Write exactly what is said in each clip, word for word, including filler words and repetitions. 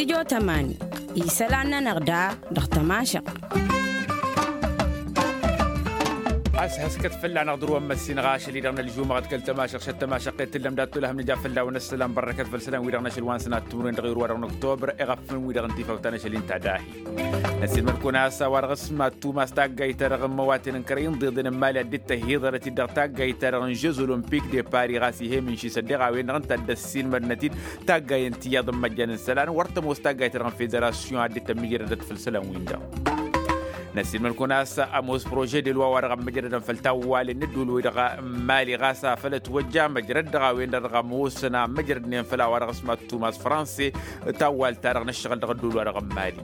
Jotămani isălan-nănăɣ da dăɣ-tămašăɣt. Ăshăskăt fălla-năɣ dăr-wăn măssinăɣ ašăl-i-dăɣ n-ălžumăɣăt kăl-tămašăɣt šăt tămašăɣt i-tǝllăm dat-tolăhăm nǝja fălla-wăn ăssălan bărrăkăt făll-isălan-wi-dăɣ n-ašăl wa n-sănat timǝrwen dăɣ-iru-wa-dăɣ n-oktobăr iɣăffăn-wi-dăɣ n-tifawt ta n-ašăl-i n-tadahit. Năssiilmăd-kăwăn a-s a-wa dăɣ-s ma tumas taggayt-ta-dăɣ n-imăwaten n-kărăy n-iḍeḍen n-imali ad-dd-tăhiḍărăt-dd dăɣ-taggayt-ta-dăɣ n-žez olămpik de pari ɣas ih'-e mǝnši s-ăddeɣ a-wen-dăɣ ǝnta a dd-ăssiilmădnăt-dd taggayen tiyyăḍ n-imăjjan n-isălan wăr tămoos taggayt-ta-dăɣ n-federasyon ad-dd-tămmijrădăt făll-isălan-win-dăɣ. Năssiilmăd-kăwăn a-s ămoos prože de loi wa-dăɣ ămmăjrădăn făll-tawwalen n-ădduul-wi-dăɣ n-imali ɣas afăl ătwăjja măjrăd dăɣ-a-wen-dăɣ dăɣ-ămoosăn a ămmăjrădnen făll-a-wa dăɣ-s ma tumas franse tawwal-ta-dăɣ n-ǝššăɣǝl dăɣ-ădduul-wa-dăɣ n-imali.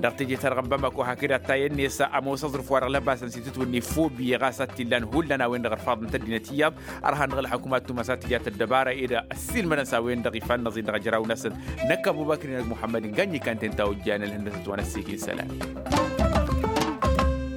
Dăɣ-teje-ta-dăɣ n-bamako hakd ad-tayăn-net ămoos aẓrǝf wa dăɣ-lăbasăn s-itǝtwǝnni fobiye ɣas ad-t-illan hullan a-wen-dăɣ ărfaḍăn-t ăddinăt iyyăḍ. Ărhan dăɣ-ălxăkumat tumas ad-tǝja tăddăbara ed ăssiilmădăn s-a-wen-dăɣ ifa n-inăẓin dăɣ-ejăraw-năsăn. Năkk ăbubăkr-i-nănăɣ muḥămmăd n-gannyi kantăyăn ta ojjanăl hăndăsăt wa n-ăssiik-in isălan.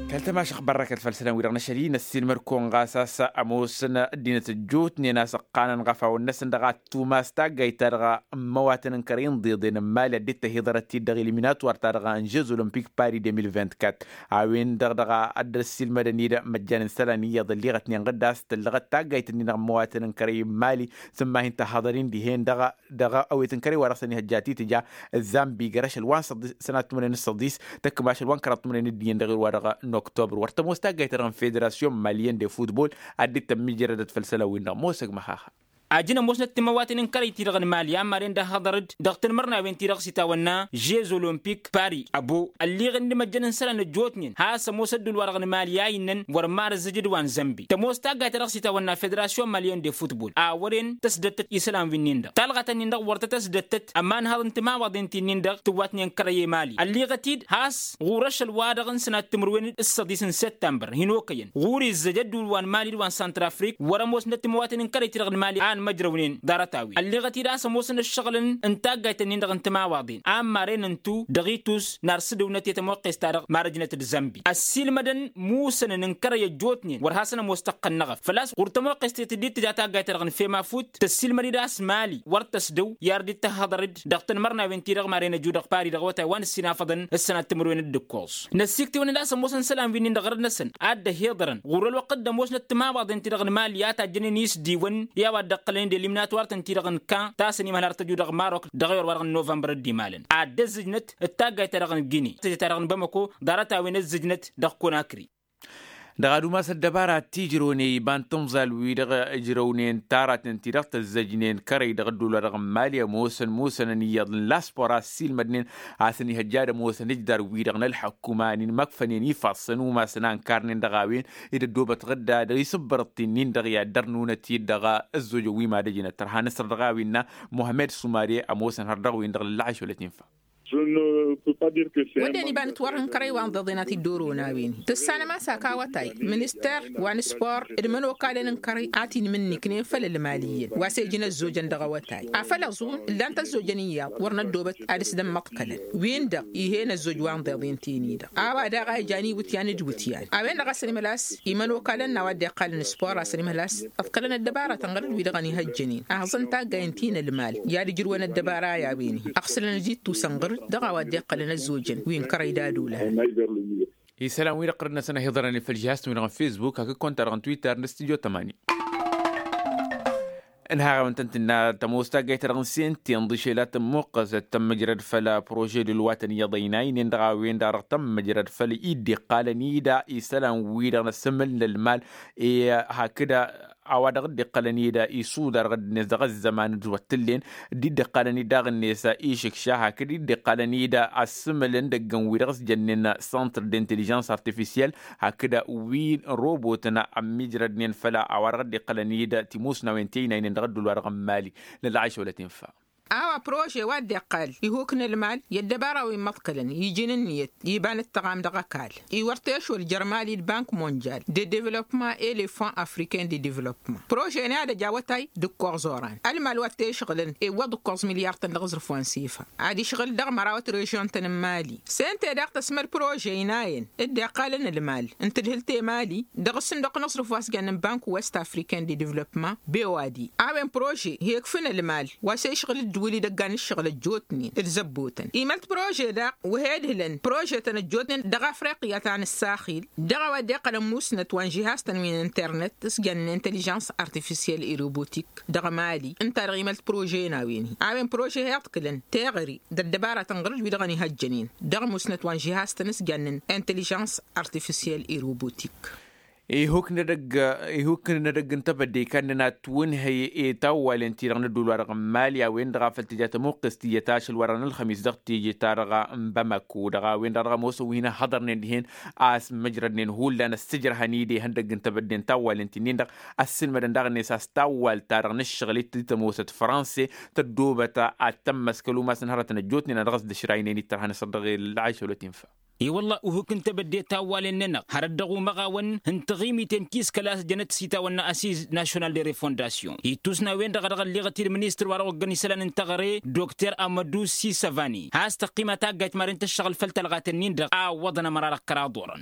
Kăl-tămašăɣt bărrăkăt făll-isălan-wi-dăɣ n-ašăl-i năssiilmăd-kăwăn ɣas a-s ămoosăn ăddinăt ăjjootnen a-s ǝqqanăn iɣăfawăn-năsăn dăɣ-ad-tumas taggayt-ta-dăɣ n-imăwatăn n-kărăy n-iḍeḍen n-imali ad-dd-tăhiḍărăt-dd dăɣ-eliminator-ta-dăɣ n-žez olămpik pari de mil vint-kat. A-wen-dăɣ dăɣ-ad-ăssiilmădăn-dd măjjan n-isălan iyyăḍ ălliɣătnen ɣǝdda a-s tăllăɣăt taggayt-nin dăɣ-imăwatăn n-kărăy n-imali. Tǝmmahin tăhhăḍăr-in dihen dăɣ-dăɣ awet n-kărăy wa dăɣ-săn ihăjja titǝja ăzzanbi găr-ašăl wa n-săḍis sănat timǝrwen d-săḍis tăkk ma ašăl wa n-kăraḍ timǝrwen d-iyyăn dăɣ-irwa dăɣ-noktobrăr wăr tămoos taggayt-ta-dăɣ n-federasyon malyen de futbol. Ad-dd-tămmijrădăt făll-isălan-win-dăɣ mosăg măxaxa. Ajăn ămoosnăt timăwaten n-kărăy-ti-dăɣ n-imali a maren d-ahăḍăr-dd dăɣ-tanmărnawen-ti-dăɣ s-itawănna žez olămpik pari ăbo ălliɣăn d-imăjjăn n-isălan ăjjootnen has-ămoos ădduul-wa-dăɣ n-imali a innăn wăr marăzzăj d-wa n-zănbi tămoos taggayt-ta-dăɣ s-itawănna federasyon malyen de futbol a wăren tăsdăttăt isălan wi-nin-dăɣ talɣat-nin-dăɣ wăr tăt-ăsdăttăt ămanhăḍ n-timawaḍen ti-nin-dăɣ tǝwwatnen kărăy i-mali ălliɣăt-dd has-ɣur-ašăl-wa-dăɣ n-sănat timǝrwen d-săḍis n-săttămbăr hin-okăyăn ɣur-izzăj ădduul wa n-mali d-wa n-santrafrik wăr-ămoosnăt timăwaten n-kărăy-ti-dăɣ n-mali a ănmăjrăwnen ḍarăt-a-wen ălliɣăt-dd a-s ămoosăn ǝššăɣǝlăn n-taggayt-nin-dăɣ n-timawaḍen a ămmarăyăn ǝntu dăɣ-itus n-ar s-dăwnăt i-tămoqqest-ta-dăɣ marăjnăt d-zănbi ăssiilmădăn musănăn n-kărăy ăjjootnen wăr hasăn-ămoos tăqqăn n-eɣăf făl-a-s ɣur-tămoqqest i-tǝddit tǝja taggayt-ta-dăɣ n-fema fut tăssiilmăd-dd a-s mali wăr tăsdăw i-ar dd-tăhhăḍăr-dd dăɣ-tanmărnawen-ti-dăɣ maren ăju dăɣ-pari dăɣ-awătay wa n-ǝssin afăḍăn s-sănat timǝrwen d-ǝkkoẓ năssiktewăn-dd a-s ămoosăn isălan wi-nin-dăɣ ɣărăt-năsăn ad-dd-ăhiḍărăn ɣur-ălwăqq dd-ămoosnăt timawaḍen-ti-dăɣ n-mali a tajjănen isdiwăn i-a-wa dd-ăqqălăn d-eliminatwar-tăn-ti-dăɣ n-kan ta săn imhăl har tăju dăɣ-marok dăɣ-ewăr wa dăɣ-novămbăr d-imalăn ad-dd-ăzzǝjnăt d-taggayt-ta-dăɣ n-gine tăjăt-ta-dăɣ n-bamăko ḍarăt-a-wen ăzzǝjnăt dăɣ-konakri. Dăɣ-ad-umas ăddăbara ti ǝjrăwne iba n-timẓal-wi-dăɣ ǝjrăwnen taraten-ti-dăɣ tăzzăjnen kărăy dăɣ-ădduul-wa-dăɣ n-mali ămoosăn musănăn iyyăḍ n-laspor a ăssiilmădnen a-s ănihăjja ad-ămoosăn ǝjdar-wi-dăɣ n-ălḥăkkuma a n-inmăkfănen ifassăn umasăn a ǝnkarnen dăɣ-a-wen ed ăddoobăt ɣǝdda dăɣ-isǝbbărăt-in-in-dăɣ i-ad-dăr-nunăt i-dd dăɣ-ăzzojăn wi mad-ăjnăt tărha nǝsrăt dăɣ-a-wen innă muhămmed sumare ămoosăn har dăɣ-win-dăɣ lăllăɣeš wăla t-infa. Wădden iba n-ǝtwărhăn kărăy wa n-iḍeḍen a t-dd-oro n-a-wen-hi tǝssanăm a-s ak awătay minister wa n-spor d-imănokalăn n-kărăy a t-inmǝnniknen făll-ălmal iyyăn wa s-e-ǝjǝn ăzzojăn dăɣ-awătay afăl ăẓun ǝllan-t ăzzojăn iyyăḍ wăr năddoobăt ad-s dd-ămmăḍkălăn win-dăɣ ih'-en ăzzoj wa n-iḍeḍen ti-ni-dăɣ a-wa daɣ a ijan iwǝtyan d-iwǝtyan a-wen-dăɣ a-s ănimălas imănokalăn n-a-wa dd-iqqalăn spor a-s ănimălas ǝḍkălăn ăddăbaratăn ɣăr-dd wi-dăɣ ănihăjjănen ahǝẓăn taggayen ti n-ălmal i-ad-ǝjrǝwăn ăddăbara i-a-wen-hi ăɣsǝlăn ăjittus ănɣăr-dd dăɣ-a-wa dd-iqqălăn ăzzojăn wi n-kărăy d-ad-olan. Isălan-wi-dăɣ ɣărăt-năsăn ăhiḍărăn făll-žihaz-tăn-wi-dăɣ n-fesbuk hakd konta-dăɣ n-twitter n-studio tămani. Ǝnhaɣ a-wen tăn-tǝnna tămoos taggayt-ta-dăɣ n-sente ǝnḍǝšel a tămmuqqăzăt tămmǝjrăd făll-prože d-ǝlwatăn iyyăḍ ăynaynen dăɣ-a-wen-dăɣ dăɣ-tămmǝjrăd făll-i dd-iqqalăn-i da isălan-wi-dăɣ n-asǝmǝl n-ălmal i-hakd a-wa dăɣ-dd-iqqălăn-i da isuḍa dăɣ-dd-net dăɣ-ăzzăman d-wăt t-tǝllen dd-iqqalăn-i daɣ-net išǝkša hakd dd-iqqalăn-i da asǝmǝl n-idăggăn-wi-dăɣ s-jănnen săntr d-intelijans artifisyel hakd wi n-robotăn ămmiijrădnen făll-a-wa dăɣ-dd-iqqălăn-i da timusnawen ti ăynaynen dăɣ-ădduul-wa-dăɣ n-mali. Nălɣayš wăla t-infa. A-wa prože wa dd-iqqal ihuk n-ălmal i-ăddăbara wi n-imăḍkălăn iji n-ǝnniyăt iba n-ǝttăɣam dăɣ-ăkall-i wăr t-ešwăl jărmali d-bank monjal d-edevlopma elefan afriken d-edevlopma prože-ni ad-ăj awătay d-ǝkkoẓ oran ălmal wa t-ešɣǝlăn iwwăḍ ǝkkoẓ milyar-tăn dăɣ-aẓrǝf wa n-sifa ad-išɣǝl dăɣ-măraw ătrrežyon-tăn n-mali sente daɣ tăsmăd prože ǝynayăn dd-iqqalăn ălmal n-tǝdhǝlt i-mali dăɣ-ǝssǝnduq n-aẓrǝf wa s-jănnen bank west afriken d-edevlopma bewadi a-wen prože hi-ekfǝn ălmal wa s-ešɣǝl wăl-idăggan n-ǝššăɣǝl ăjjootnen d-zăbbotăn imălt prože daɣ. Wăhed hǝlăn prožetăn ăjjootnen dăɣ-afriqya ta n-ǝssaxil dăɣ-a-wa dd-iqqălăn musnăt wa n-žihaz-tăn wi n-internet s-jăn n-intăližăns artifisyel i-robotik dăɣ-mali ǝnta-dăɣ imălt prože n-a-wen-hi a-wen prože hi-iḍkǝlăn teɣăre d-ăddăbaratăn ɣur-dd wi-dăɣ ănihăjjănen dăɣ-musnăt wa n-žihaz-tăn s-jăn n-intăližăns artifisyel i-robotik. Ihuk n-edăgg n-tebădde ikannăn ad-twǝnhăy i-tawwalen-ti-dăɣ n-ădduul-wa-dăɣ n-mali a-wen-dăɣ a făl tǝja tămuqqǝst iyyăt ašăl-wa-dăɣ n-ălxămis dăɣ-teje-ta-dăɣ n-bamako dăɣ-a-wen-dăɣ dăɣ-ămoosăn wi hin-ăhhăḍărnen dihen a-s măjrădnen hullan ăssǝjrăhăn-i d-ihăndăgg n-tebădde n-tawwalen-ti-nin-dăɣ. Ăssǝlmădăn daɣ-net a-s tawwalt-ta-dăɣ n-ǝššăɣǝl-i t-tămoosăt franse tăddoobăt ad-tămmăskăl umasăn hărătăn ăjjootnen a dăɣ-s dd-ăšraynen-i d-tărha n-asăr dăɣ-el. Ašăl otinfa. I-wălla uhǝk n-tebădde tawwalen-nănăɣ hărăt dăɣ-umăɣawăn n-taɣimiten ti s-kăla a-s jănăt s-itawănna asiz national de refondasyon ittus n-a-wen-dăɣ a dăɣ-ălliɣăt-dd ministăr wa dăɣ-oggăn isălan n-teɣăre dr amădu sisăvani has-tăqqima taggayt madăn-tǝššăɣǝl făll-tălɣaten-nin-dăɣ a ǝwwăḍăn ămăra dăɣ-kăraḍ orăn.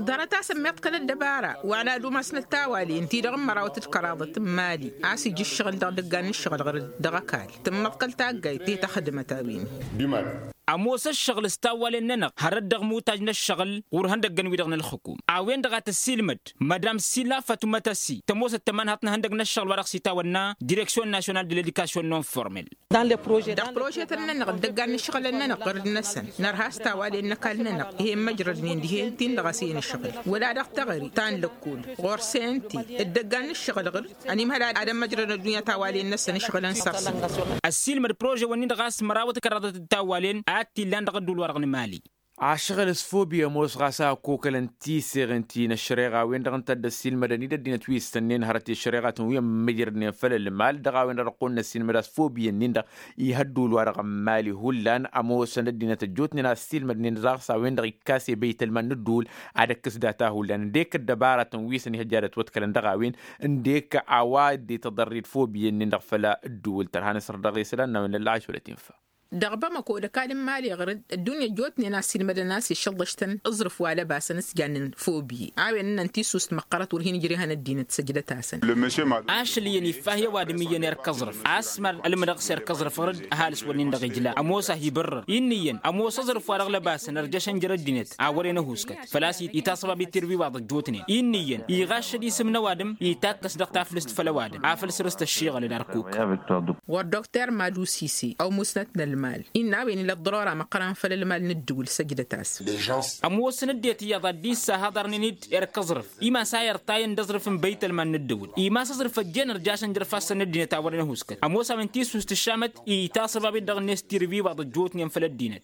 Ḍarăt-asăn miḍkăl ăddăbara wa n-ad-umasnăt tawalen-ti-dăɣ n-mărawăt d-kăraḍăt n-mali a-s ija ǝššăɣǝl dăɣ-idăggan n-ǝššăɣǝl ɣǝr-dd dăɣ-ăkall tǝmmăḍkăl taggayt i-taxdǝmăt a-wen-hi. Ămoos ǝššăɣǝl s-tawwalen-nănăɣ hărăt dăɣ-imutaj n-ǝššăɣǝl ɣur-ihăndăggăn-wi-dăɣ n-ălxǝkum a-wen-dăɣ a tăssiilmăd madam sila fatuma tăssi tămoosăt tămanhaḍt n-ihăndăgg n-ăššăɣǝl wa dăɣ-s itawănna direksyon nasyonal de l-edikasyun non-formel. Dăɣ-prožetăn-nănăɣ d-ăggan n-ǝššăɣǝlăn-nănăɣ ɣǝr-dd-năsăn nărha s-tawalen n-ăkall-nănăɣ ih'-en măjrădnen dihen-tin-dăɣ a-s i-inǝšɣǝl wăla dăɣ-teɣăre ta n-lăkkol ɣur-senti d-ăggan n-ǝššăɣǝl ɣǝr-dd ănimhăl ad-ămmăjrădăn ăddunya tawalen-năsăn ǝšɣǝlăn săr-săn. Ăssiilmăd prože-wăn-in-dăɣ a-s mărawăt kăraḍăt d-tawalen a t-illan dăɣ-ădduul-wa-dăɣ n-mali. Ašăɣǝl s-fobi ămoos ɣas a ăkkokălăn tiseɣen ti n-ăššăreɣa a-wen-dăɣ ǝnta a dd-ăssiilmădăn-dd ăddinăt wi s-tănnen hărăt i-ăššăreɣatăn wi ămmăjrădnen făll-ălmal dăɣ-a-wen-dăɣ dăɣ-kăwăn-năssiilmăd a-s fobi-ǝnnin-dăɣ. Ih' ădduul-wa-dăɣ n-mali hullan ămoosăn ăddinăt ăjjootnen a ăssiilmădnen daɣ s-a-wen-dăɣ ikkas i-băytălman n-ădduul ad-ăkkǝs data hullan ǝndek ăddăbaratăn wi s-ănihăjja ad-ătwăḍkălăn dăɣ-a-wen ǝndek a-wa dd-ităḍărrid fobi-ǝnnin-dăɣ făll-ădduul tărha n-asăr dăɣ-isălan n-a-wen n-ălɣaš wăla tinfa. Dăɣ-bamăko d-ăkall n-mali ɣǝr-dd ăddunya ăjjootnen a ăssiilmădăn a-s išǝḍlăš-tăn aẓrǝf wa lăbasăn s-jannen fobi a-wen ǝnnăn tisust măqqărăt wăr hin-ǝjrehăn ăddinăt săjdăt-asăn. Ašăl iyyăn iffah i-ăwadǝm iyyăn erk aẓrǝf a-s mad-ălmǝdăɣ s-erk aẓrǝf ɣǝr-dd ăhalǝs wăr-nin-dăɣ ijla ămoos a hi-ibărrăr. Inn'-iyyăn ămoos aẓrǝf wa dăɣ-lăbasăn ărjăšăn jer-ăddinăt a wăren ăhuskăt făl-a-s itaṣăbab i-tirwi wa ḍăjjootnen inn'-iyyăn iɣaššăd isǝm n-ăwadǝm itakkăs dăɣ-taflǝst făll-ăwadǝm afăl săr-s tăššiɣălăd ărkuk. Wăr dokter malusisi ăw musnăt n-ălmal innă a-wen ila ăḍḍărora măqqăran făll-ălmal n-ǝddǝwǝl săjdăt-as. Ămoosăn ăddinăt iyyăḍ ad-dd-issahaḍărnen-dd erk aẓrǝf imas a irṭayăn d-aẓrǝf n-băytălman n-ǝddǝwǝl imas aẓrǝf ăjjeen ărjašăn jer-ifassăn n-ăddinăt a wărăn ăhuskăt ămoos a-wen tisust ǝššamăt itaṣăbab-dd dăɣ-net tirǝbiwaḍ ăjjootnen făll-ăddinăt.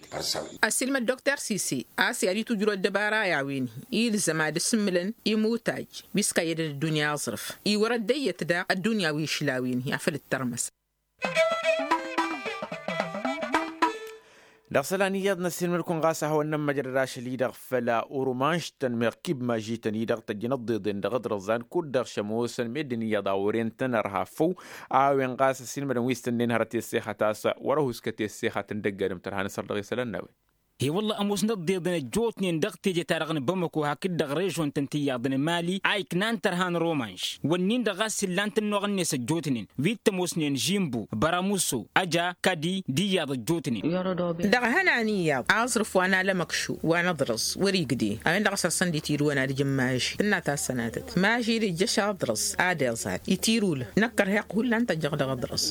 Ăssiilmăd dokter sisi a-s i-ad-itujrǝw ăddăbara i-a-wen-hi ilzăm ad-ǝsǝmmǝlăn imutaj wi s-kăyyădăn ăddunya aẓrǝf iwărăt d-eyyăt daɣ ăddunya wi išla a-wen-hi afăl dd-tărmăs. Dăɣ-isălan iyyăḍ n-ăssiilmăd-kăwăn ɣas a hawăn-nămmăjrăd ašăl-i-dăɣ făll-urumanš-tăn meɣ kibmaj-i-tăn-i-dăɣ tăjjăn ăḍḍeḍen dăɣ-aḍrăẓan kud-dăɣ šămoosăn meddǝn iyyăḍ a wăren-tăn ărha făw. A-wen ɣas ăssiilmădăn wi s-tănnen hărăt i-ăssexăt a-s wăr-ăhuskăt i-ăssexăt n-dăgg-adǝm tărha n-asăr dăɣ-isălan n-a-wen. He-wălla ămoosnăt ăḍḍeḍen ăjjootnen dăɣ-teje-ta-dăɣ n-bamăko hakd-dăɣ režon-tăn tiyyăḍ n-mali a iknan tărha n-romanž wănnin-dăɣ ɣas illan tǝnnoɣ-net ăjjootnen wi t-ămoosnen žimbu băramuso ăja kadi d-iyyăḍ ăjjootnen. Dăɣ-hănan iyyăḍ aẓrǝf wa n-alămăkšu wa n-aḍrăẓ wăr-igdeh a-wen-dăɣ a-s ăssăn d-itirǝwăn ad-ǝjǝn maži tǝnna ta s-sănatăt maži d-ijjăš aḍrăẓ ad-iẓad itirǝwlăn năkkărheɣ hullan tăjjăɣ dăɣ-aḍrăẓ.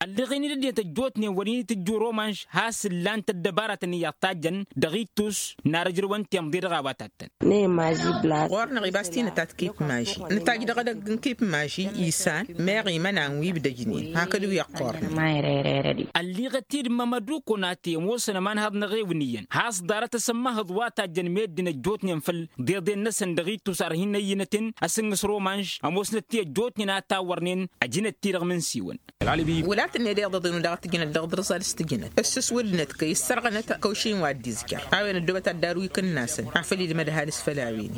Ălleɣen-dd ăddinăt ăjjootnen wăr-in-itǝjju romanž has-ǝllan-t ăddăbaratăn iyyăḍ tajjăn dăɣ-ittus n-ar ǝjrǝwăn timḍe dăɣ-a-wa tattăn. Ɣur-năɣ ibas tinătat kipmaži nǝtajj dăɣ-edăgg n-kipmaži isan meɣ imănan wi ibdăjnen hakd wi ăqqurnen. Ălliɣăt-dd mămădu konate ămoosăn ămanhăḍ n-eɣewăn iyyăn has-ḍarăt asǝmmăhăḍ wa tajjăn meddǝn ăjjootnen făll-deḍen-năsăn dăɣ-ittus ar hin-ăyyǝnăten asǝnnǝs romanž ămoosnăt-ti ăjjootnen a tawărnen ăjǝnăt-ti-dăɣ imǝnsiwăn. Wăla tǝnned iḍăḍen-wi dăɣ-tǝjǝnăt dăɣ-aḍrǝẓ ad-s-tǝjǝnăt ǝssǝswǝdnăt kăy-ǝssărɣănăt kăwš-in wa dd-izjăr a-wen ăddoobăt ad-darǝw ikǝnnasăn afăl ilmăd ăhalǝs făll-a-wen.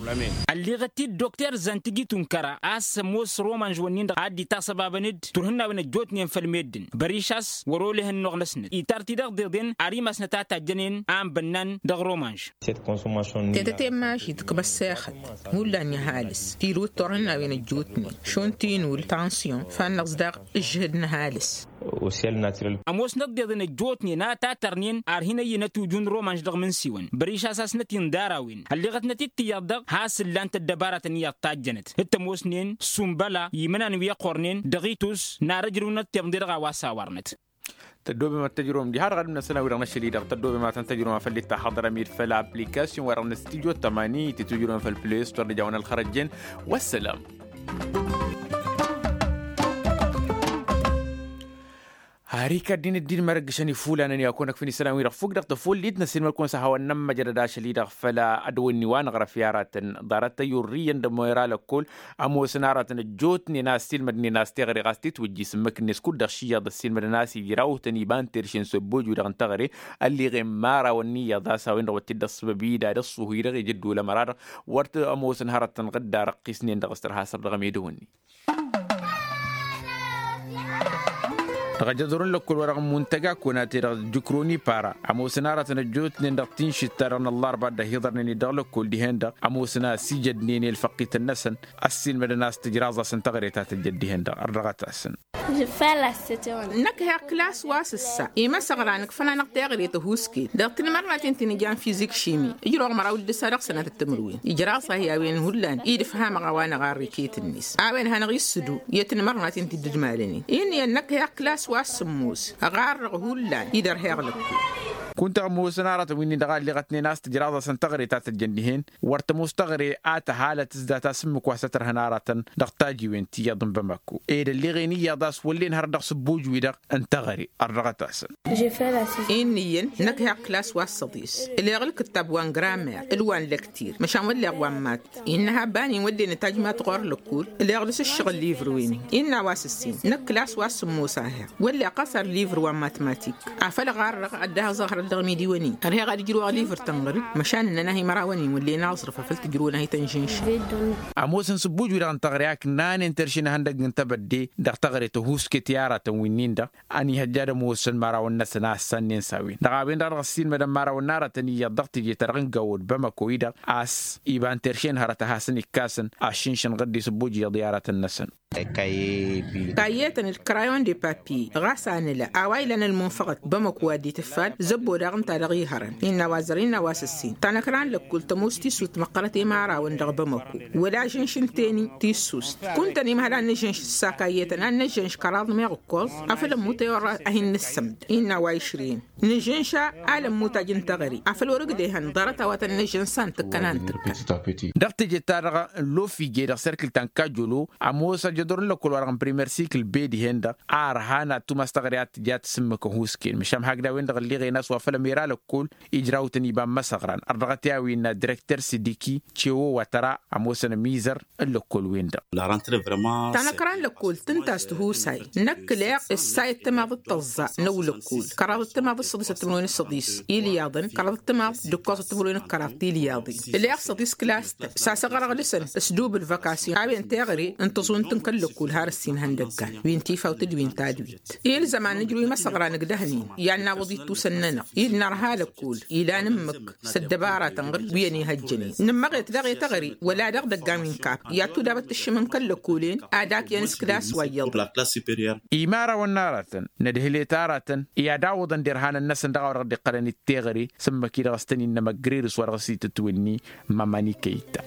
Ălliɣăt-dd dokter zantigitu n-kăra a-s ămoos romanž wănnin-dăɣ ad-dd-itaṣăbabăn-dd turhǝnnawen ăjjootnen făll-meddǝn băriš a-s wăr-oleh ănnuɣ-năsnăt itar-t-i-dăɣ deḍen ar imasnăt a tajjănen a ănbănnan dăɣ-romanž. Tetăte n-maži tǝkmă ăssexăt hullan i-ăhalǝs tirǝw d-turhǝnnawen ăjjootnen šund tinul tansyon fannăɣ-s daɣ ǝžžǝhǝd n-ăhalǝs. Ămoosnăt deḍen ăjjootnen a tatărnen ar hin-ăyyǝnăt ujun romanš dăɣ-imǝnsiwăn băriš a-s asnăt-in d-ara-wen ălleɣătnăt-dd tiyyăḍ-dăɣ has-ǝllan-t ăddăbaratăn iyyăḍ tajjănăt d-tămoosnen sumbăla imǝnan wi ăqqornen dăɣ-itus n-ar ăjrǝwnăt tiḍǝnde-dăɣ a-wa s-awărnăt. Tăddobem ad-tăjrăwăm diha-dăɣ ad-ǝmnăsăn a-wi-dăɣ n-ašăl-i-dăɣ tăddobem ad-tăn-tăjrăwăm a făl dd-taxăḍrăm-dd făll-application-wa-dăɣ n-studio tămani tǝtujrăwăm făll-play store d-ejawăn ălxărăjjen. Wăssălam. Har ikaddin ăddin mărăggǝšăn ifulanăn i-ad-kăwăn-ăkfǝn isălan-wi-dăɣ fukk dăɣ-tăfullit n-ăssiilmăd-kăwăn s-ad-hawăn-nămmăjădăd ašăl-i-dăɣ făll-ad-wănni wa năɣrăf i-aratăn ḍarăt tăyyurrǝyăn d-ămoos ăra lăkkol. Ămoosăn aratăn ăjjootnen a ăssiilmădnen a-s teɣăre ɣas titwǝjjis ǝmmǝk-net kud-dăɣ šiyyăḍ ăssiilmădăn a-s ijrawtăn iba n-terše n-săbboj-wi-dăɣ n-teɣăre ălliɣen imărawăn n-iyyăḍ a-s a-wen-dăɣ wăr t-dd-ăṣṣăbăb ida d-ăṣṣuhu-i-dăɣ ijǝddu lămăra-dăɣ. Wăr t-ămoosăn hărăt tăn-ɣǝdda răqqisnen dăɣ-s tărha săr dăɣ-emedăwănni. Dăɣ-ajăḍur n-lăkkol-wa-dăɣ n-muntăga kăwăn-a-t-e-dăɣ jǝkroni para ămoosăn aratăn ăjjootnen dăɣ-tinšit-ta-dăɣ n-ăllarba dd-ăhiḍărnen-dd dăɣ-lăkkol dihen-dăɣ ămoosăn a-s ijădnen i-ălfăqqităn-năsăn. Ăssiilmădăn a-s tǝjraẓ-asăn teɣăre ta tăjjăd dihen-dăɣ ărdăɣăt-asăn. Năkk heɣ klas wa s-ǝssa imăsăɣra nǝkfăn-anăɣ teɣăre tăhuusket dăɣ-tinmărnaten ti n-ijan fizik šimi ǝjrăwăɣ măraw d-ǝssa dăɣ-sănatăt timǝrwen ijraẓ-ahi a-wen hullan-i d-ǝfhamăɣ a-wa năɣarrǝy iket-net a-wen hanăɣ-issǝdu i-tinmărnaten ti dd-ǝmalănen inn'-iyyăn năkk heɣ klas wa s-sǝmmos ăɣarrăɣ hullan-i d-ărheɣ lăkkul. Kunta ămoosăn aratăn wi-nin-dăɣ a ălleɣătnen a-s tǝjraẓ-asăn teɣăre ta tăjjăn dihen wăr tămoos teɣăre a tăhalăt s-data s-ǝmmǝk wa s-ătrăhăn aratăn dăɣ-tajiwen ti iyyăḍ n-bamako ed ălleɣen iyyăḍ a-s wăllen hărăt dăɣ-sǝbbuj-wi-dăɣ n-teɣăre. Ărdăɣăt-asăn. Inn'-iyyăn năkk heɣ klas wa s-săḍis ǝleɣ ǝlkǝttab wa n-gramer d-wa n-lăktir măšan wălleɣ wa n-mat. Innă habba-nin wăllen ătajmat ɣur-lăkkul ǝleɣ dăr-s ǝššăɣǝl livr-wen-in innă a-wa s-ǝssin năkk klas wa s-sǝmmos a heɣ wălleɣ ɣas ar livr wa n-matmatik afăl ɣarrăɣ ad-dd-ahăẓăɣ hărăt dăɣ-imidiwăn-in ărheɣ ad-ǝjrǝwăɣ livr tănɣăr-dd măšan ǝnnăn-ahi mărawăn-in wăllen aẓrǝf afăl tǝjrǝwăn-ahi tănžǝnša. Ămoosăn sǝbbuj-wi-dăɣ n-teɣăre a ǝknanen terše n-ehăndăgg n-tebădde dăɣ-teɣăre tăhuusket i-aratăn wi-nin-dăɣ ănihăjja ad-ămoosăn imărawăn-năsăn a ăssannen s-a-wen dăɣ-a-wen-dăɣ dăɣ-ăssiilmădăn imărawăn n-aratăn iyyăḍ dăɣ-teje-ta-dăɣ n-gawăd bamăko-i-dăɣ a-s iba n-terše n-hărăt a hasăn-ikkasăn a ăššǝnšăn ɣǝddis ǝbbuj iyyăḍ i-aratăn-năsăn. Kayyetăn d-krayon de papye ɣas a nǝla a-wa ilan ălmunfăɣăt bamăko wa dd-itǝffal zăbbo daɣ ǝnta-dăɣ ihărăn innă a-wa zăr innă a-wa s-ǝssin tanăkra n-lăkkul tămoos tisut măqqărăt i-imărawăn dăɣ-bamăko wăla žǝnš n-teni tissust kuntăn imhăl ad-nǝžžǝnš s-assa kayyetăn ad-nǝžžǝnš kăraḍ meɣ ǝkkoẓ afăl ămmut i-orra a hin-nǝssămd innă a-wa išrǝyăn nǝžžǝnša alămmutaj n-teɣăre afăl wăr-ǝgdehăn ḍarăt a-wa tăn-nǝžžǝnš s-a n-tǝkkăn a n-tǝkkăn. Dăɣ-teje-ta-dăɣ n-lofije dăɣ-serkǝl ta n-kajolo ămoos ajădur n-lăkkol-wa-dăɣ n-primer sikl be dihen-dăɣ a ărhan ad-tumas teɣăre ad-tǝja tǝsǝmmǝk ăhuusken măšan hakd a-wen-dăɣ ǝlleɣen a-s wa făl ămera lăkkol ijrawtăn iba n-imăsăɣran ărdăɣăt i-a-wen n-ad-direkter sidiki cewo wa tăra ămoosăn ămizăr n-lăkkol-wen-dăɣ. Tanăkra n-lăkkol tǝnta a-s tihusay năkk leɣ ǝssay ăttămaḍ d-tăẓẓa n-ăwlăkkol kăraḍ ăttămaḍ d-săḍis ăttămănwen d-săḍis ilyaḍăn kăraḍ ăttămaḍ d-ǝkkoẓ ăttămănwen d-kăraḍ tilyaḍen leɣ săḍis klas-tăn s-asăɣrăɣ dăɣ-săn s-dubǝl văkasyon a-wen teɣăre n-tăẓunt n-kăl-lăkkol har ǝssin ihăndăggan wi n-tifawt d-wi n-tadwit ilzăm ad-nǝjrǝw imăsăɣra nǝgdăhnen i-ad-nawăḍ ittusăn-nănăɣ i-dd-nărha lăkkol ilan ǝmmǝk s-ăddăbara tănɣăr wi ănihăjjănen nǝmmăɣet daɣ i-teɣăre wăla dăɣ-idăggan wi n-kap i-ad-tudabăt tǝššǝm n-kăl-lăkkolen ad-akyăn s-klas wa iyyăḍ. Imărawăn n-aratăn nădhǝlet aratăn i-ad-awǝḍăn derhanăn-năsăn dăɣ-a-wa dăɣ-dd-iqqălăn d-teɣăre s-ǝmmǝk-i-dăɣ s-tăn-innă măggărerǝs wa dăɣ-s itǝtwǝnni mămănikăy-ta.